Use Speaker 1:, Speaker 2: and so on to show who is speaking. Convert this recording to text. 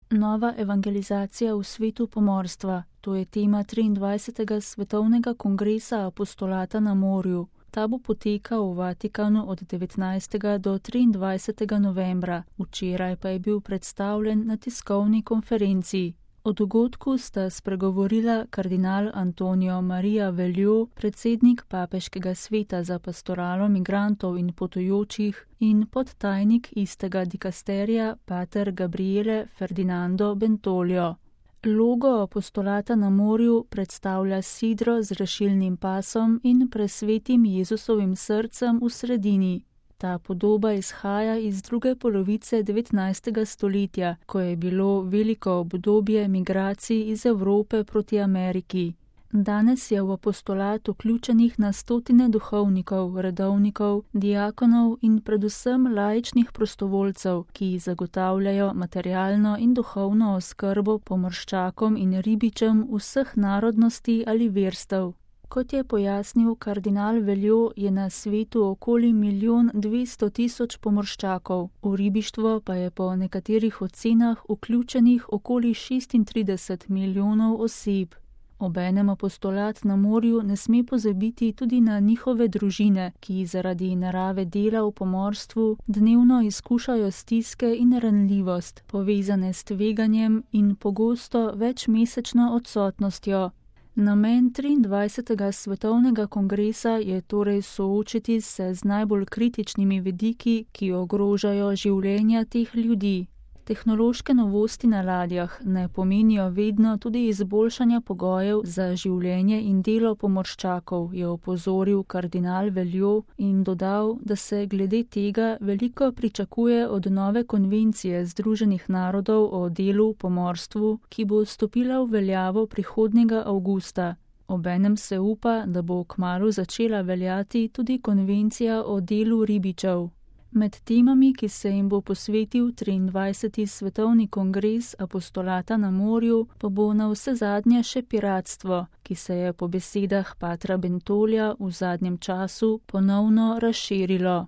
Speaker 1: Nova evangelizacija v svetu pomorstva. To je tema 23. svetovnega kongresa apostolata na morju. Ta bo potekal v Vatikanu od 19. do 23. novembra. Včeraj pa je bil predstavljen na tiskovni konferenci. O dogodku sta spregovorila kardinal Antonio Maria Veljo, predsednik Papeškega sveta za pastoralo migrantov in potujočih, in podtajnik istega dikasterija pater Gabriele Ferdinando Bentolio. Logo apostolata na morju predstavlja sidro z rešilnim pasom in presvetim Jezusovim srcem v sredini. Ta podoba izhaja iz druge polovice 19. stoletja, ko je bilo veliko obdobje migracij iz Evrope proti Ameriki. Danes je v apostolat vključenih na stotine duhovnikov, redovnikov, diakonov in predvsem laičnih prostovoljcev, ki zagotavljajo materialno in duhovno oskrbo pomorščakom in ribičem vseh narodnosti ali verstev. Kot je pojasnil kardinal Veljo, je na svetu okoli 1.200.000 pomorščakov, v ribištvo pa je po nekaterih ocenah vključenih okoli 36 milijonov oseb. Obenem apostolat na morju ne sme pozabiti tudi na njihove družine, ki zaradi narave dela v pomorstvu dnevno izkušajo stiske in ranljivost, povezane s tveganjem in pogosto večmesečno odsotnostjo. Namen 23. svetovnega kongresa je torej soočiti se z najbolj kritičnimi vidiki, ki ogrožajo življenja teh ljudi. Tehnološke novosti na ladjah ne pomenijo vedno tudi izboljšanja pogojev za življenje in delo pomorščakov, je opozoril kardinal Veljo in dodal, da se glede tega veliko pričakuje od nove konvencije Združenih narodov o delu v pomorstvu, ki bo stopila v veljavo prihodnjega avgusta. Obenem se upa, da bo kmalu začela veljati tudi konvencija o delu ribičev. Med temami, ki se jim bo posvetil 23. svetovni kongres apostolata na morju, pa bo navsezadnje še piratstvo, ki se je po besedah patra Bentolja v zadnjem času ponovno razširilo.